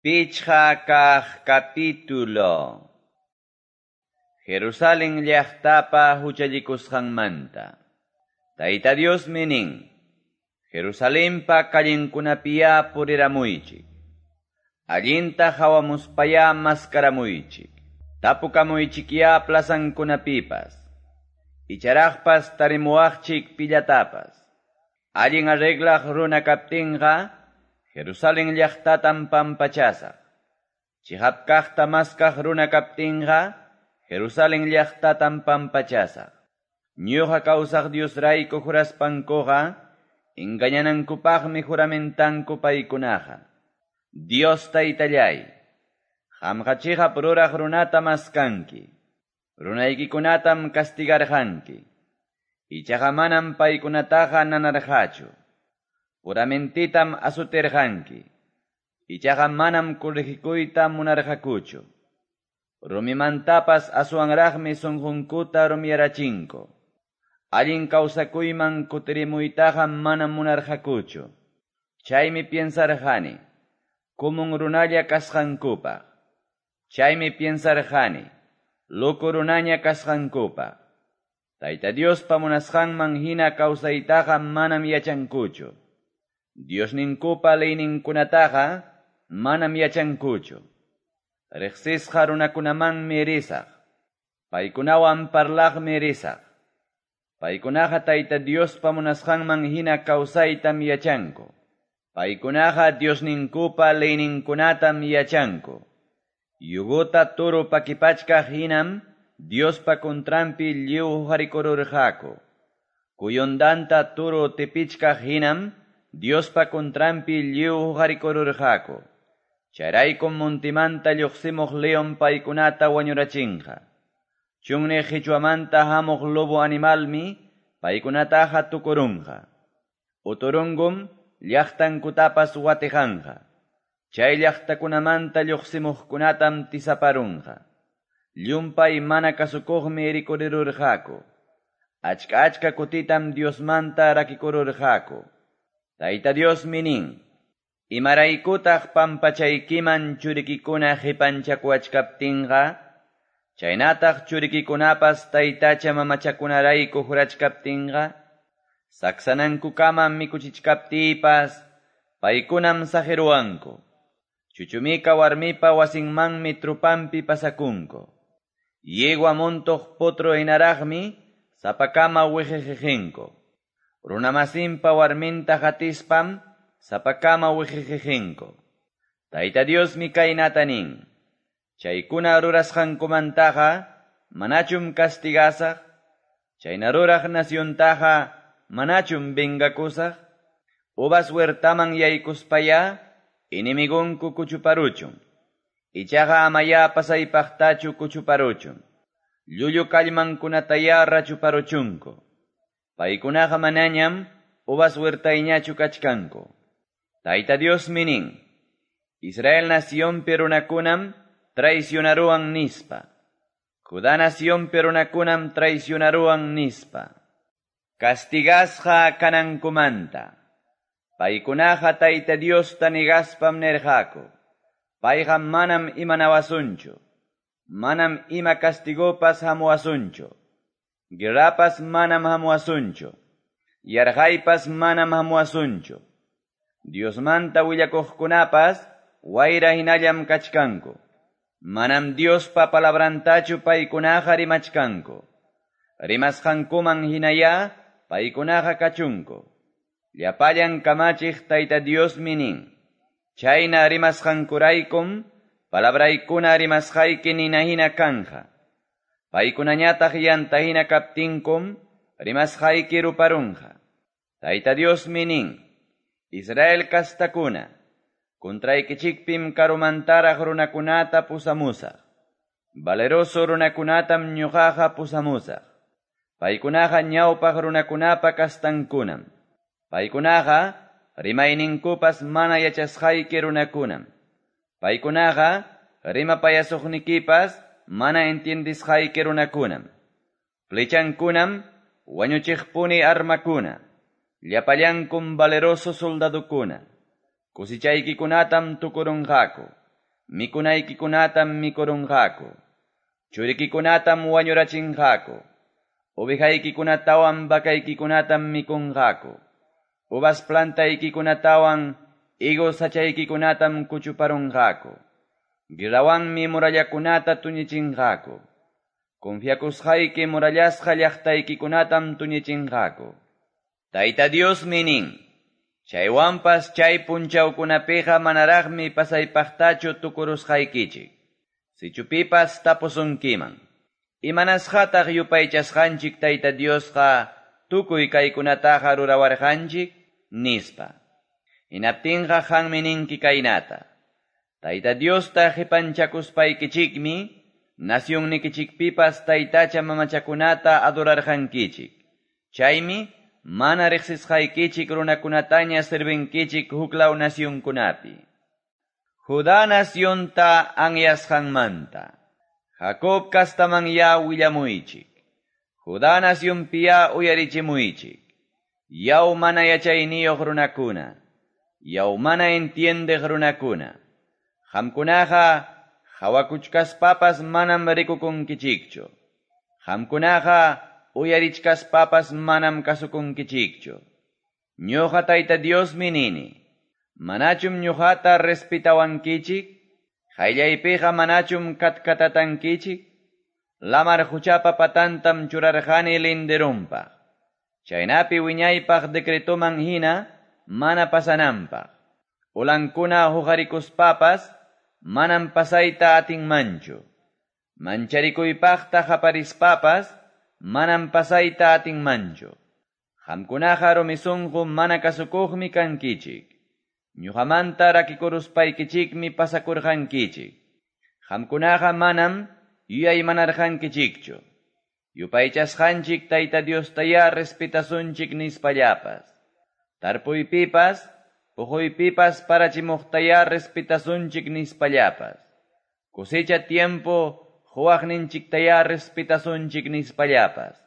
5 kaq capítulo. Jerusalén llaqtapa huchallikusqanmanta. Tayta Diosmi nin: Jerusalenpa callenkunapiyá puriramuychik. Allinta hawamuspayá maskaramuychik. Tapukamuychikyá plazankunapipas. Icharaqpas tarimuwaqchik pillatapas. Allin arreglaq runa kaptinqa, Jerusalén llaqtatam pampachasaq. Chiqap kaqta maskaq runa kaptinqa, Jerusalén llaqtatam pampachasaq. Ñuqa kawsaq Diosrayku juraspankuqa, engañanankupaqmi juramentanku paykunaqa. Dios Taytallay, qamqa chiqap ruraq runata maskanki. Runaykikunatam castigarqanki. Ichaqa manam paykunataqa nanarqachu. Puramentitam azoterqanki. Ichaqa manam corregikuyta munarqakuchu. Rumimantapas aswanraqmi sunqunkuta rumiyarachinku. Allin kawsakuyman kutirimuytaqa manam munarqakuchu. Chaymi piensarqani, kumun runalla kasqankupaq. Chaymi piensarqani, loco runaña kasqankupaq. Tayta Diospa munasqanman hina kawsaytaqa manam yachankuchu. Diosninkupa leyninkunataqa manam yachankuchu. Riqsisqa runakunamanmi risaq. Paykunawan parlaqmi risaq. Paykunaqa Tayta Diospa munasqanman hina kawsaytam yachanku. Paykunaqa Diosninkupa leyninkunatam yachanku. Yugota toro pakipachkaq hinam Diospa contranpi lliw huqarikururqaku. Kuyundanta toro tipichkaq hinam Diospa contranpi lliw huqarikururqaku. Chayraykum montimanta lluqsimuq león paykunata wañurachinqa. Chunniq qichwamanta hamuq lobo animalmi paykunataqa tukurunqa. Uturungum llaqtankutapas watiqanqa. Chay llaqtakunamanta lluqsimuqkunatam tisaparunqa. Llumpay mana kasukuqmi rikurirurqaku. Achka achka kutitam Diosmanta rakikururqaku. Tayta Diosmi nin: Imaraykutaq pampachaykiman churikikuna qipanchakuwachkaptinqa, chaynataq churikikunapas taytacha mamachakunarayku jurachkaptinqa, saksanankukama mikuchichkaptiypas, paykunam saqiruwanku. Chuchumika warmipa wasinmanmi trupampi pasakunku. Yegua montoq potro hinaraqmi sapakama wiqiqiqinku. Runamasinpa warminta hatispam sapakama wiqiqiqinku. Tayta Diosmi kaynata nin: Chaykuna rurasqankumantaqa manachum castigasaq, chayna ruraq naciontaqa manachum vengakusaq. Uvas huertaman yaykuspaya enemigonku kuchuparuchun. Ichaqa amaya pasaypaqtachu kuchuparuchun. Llullu kallmankunataya rachuparuchunku. Paykunaqa manañam uvas huertayñachu kachkanku. Tayta Diosmi nin: Israel nacionpi runakunam traicionaruwan nispa. Judá nacionpi runakunam traicionaruwan nispa. Castigasqa kanankumanta. Paykunaqa Tayta Diosta negaspam nirqaku. Payqa manam imanawasunchu. Manam ima castigopas hamuwasunchu. Guerrapas manam hamuwasunchu. Yarqaypas manam hamuwasunchu. Diosmanta willakuqkunapas wayra hinallam kachkanku. Manam Diospa palabrantachu paykunaqa rimachkanku. Rimasqankuman hinaya paykunaqa kachunku. Llapallan kamachiq Tayta Diosmi nin: Chayna rimasqankuraykum palabraykuna rimasqayki nina hina kanja. Paykunañataq yanta hina kaptinkum rimasqayki ruparunqa. Tayta Diosmi nin: Israel kastakuna, contraykichikpim karumantaraq runakunata pusamusaq. Valeroso runakunatam ñuqaqa pusamusaq. Paykunaqa ñawpaq runakunapa kastankunam. Paykunaqa rimayninkupas mana yachasqayki runakunam. Paykunaqa rimapayasuqnikipas mana entiendisqayki runakunam. Flechankunam wañuchiqpuni armakuna. Llapallankum valeroso soldadukuna. Cosichaykikunatam tukurunqaku. Mikunaykikunatam mikurunqaku. Churikikunatam wañurachinqaku. Ovejaykikunatawan vacaykikunatam mikunqaku. Uvas plantaykikunatawan higos sachaykikunatam kuchuparunqaku. Guerrawanmi murallakunata tuñichinqaku. Confiakusqayki murallasqa llaqtaykikunatam tuñichinqaku. Tayta Diosmi nin, chaywanpas chay punchawkunapiqa manaraqmi pasaypaqtachu tukurusqaykichik. Sichu pipas tapusunkiman. Imanasqataq yupaychasqanchik Tayta Diosqa tukuy kaykunataqa rurawarqanchik, nispa. Hinaptinqa qanmi ninki kaynata. Tayta Diosta qipanchakuspaykichikmi, nacionnikichikpipas taytacha mamachakunata adorarqankichik. Chaymi mana riqsisqaykichik runakunataña servinkichik huklaw nacionkunapi. Judá nacionta anyasqanmanta. Jacob kastaman ya willamuychik. Judá nacionpiya uyarichimuychik. Yaw mana yachayniyuq runakuna. Yaw mana entiendeq runakuna. Qamkunaqa qawakuchkaspapas manam rikukunkichikchu. Qamkunaqa uyarichkaspapas manam kasukunkichikchu. Ñuqa Tayta Diosmi nini. Manachum ñuqata respetawankichik? Qayllaypiqa manachum katkatatankichik? Lamar quchapa patantam churarqani linderunpaq. Chaynapi wiñaypaq decretoman hina mana pasananpaq. Ulankuna huqarikuspapas manam pasayta atinmanchu. Mancharikuypaqta qaparispapas manam pasayta atinmanchu. Qamkunaqa rumi sunqu mana kasukuqmi kankichik. Ñuqamanta rakikuruspaykichikmi pasakurqankichik. Qamkunaqa manam yuyaymanarqankichikchu. Yupaychasqanchik Tayta Diostayá respetasunchik nispallapas. Tarpuypipas, puquypipas parachimuqtayá respetasunchik nispallapas. Cosecha tiempo quwaqninchiktayá respetasunchik nispallapas.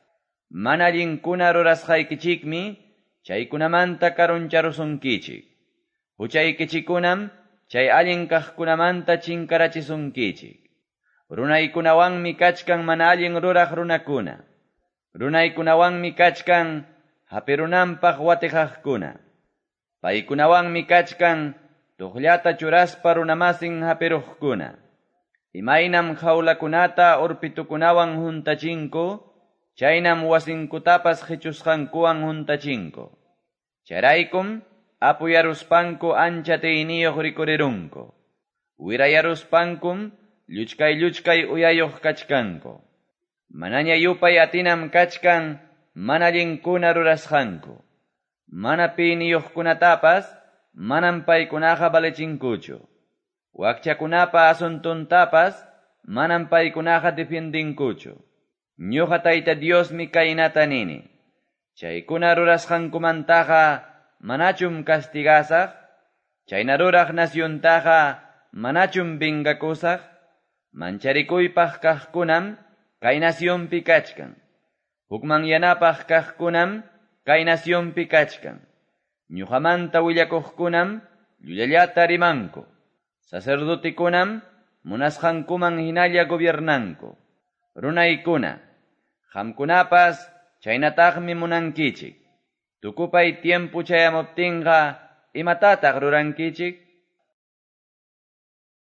Mana allinkuna rurasqaykichikmi chaykunamanta karuncharusunkichik. Huchaykichikkunam chay allin kaqkunamanta chinkarachisunkichik. Runaykunawanmi kachkan mana allin ruraq runakuna. Runaykunawanmi kachkan hapirunanpaq watiqaqkuna. Paykunawanmi kachkan tuqllata churaspa runamasin hapiruqkuna. Imaynam jawlakunata urpitukunawan huntachinku, chaynam wasinkutapas qichusqankuwan huntachinku. Chayraykum apuyaruspanku ancha atiyniyuq rikurirunku. Wirayaruspankum lluchkay lluchkay uyayuq kachkanku. Manaña yupay atinam kachkan mana allinkuna rurasqanku. Mana piniyuqkunatapas manam paykunaqa valechinkuchu. Wakchakunapa asuntuntapas manam paykunaqa defiendinkuchu. Ñuqa Tayta Diosmi kaynata nini. Chaykuna rurasqankumantaqa manachum castigasaq? Chayna ruraq naciontaqa manachum vengakusaq? Mancharikuypaq kaqkunam kay nacionpi kachkan. Hukmanyanapaq kaqkunam kay nacionpi kachkan. Ñuqamanta willakuqkunam llullallata rimanku. Sacerdotekunam munasqankuman hinalla gobiernanku. Runaykuna, qamkunapas chaynataqmi munankichik. Tukupay tiempo chayamuptinqa imatataq rurankichik?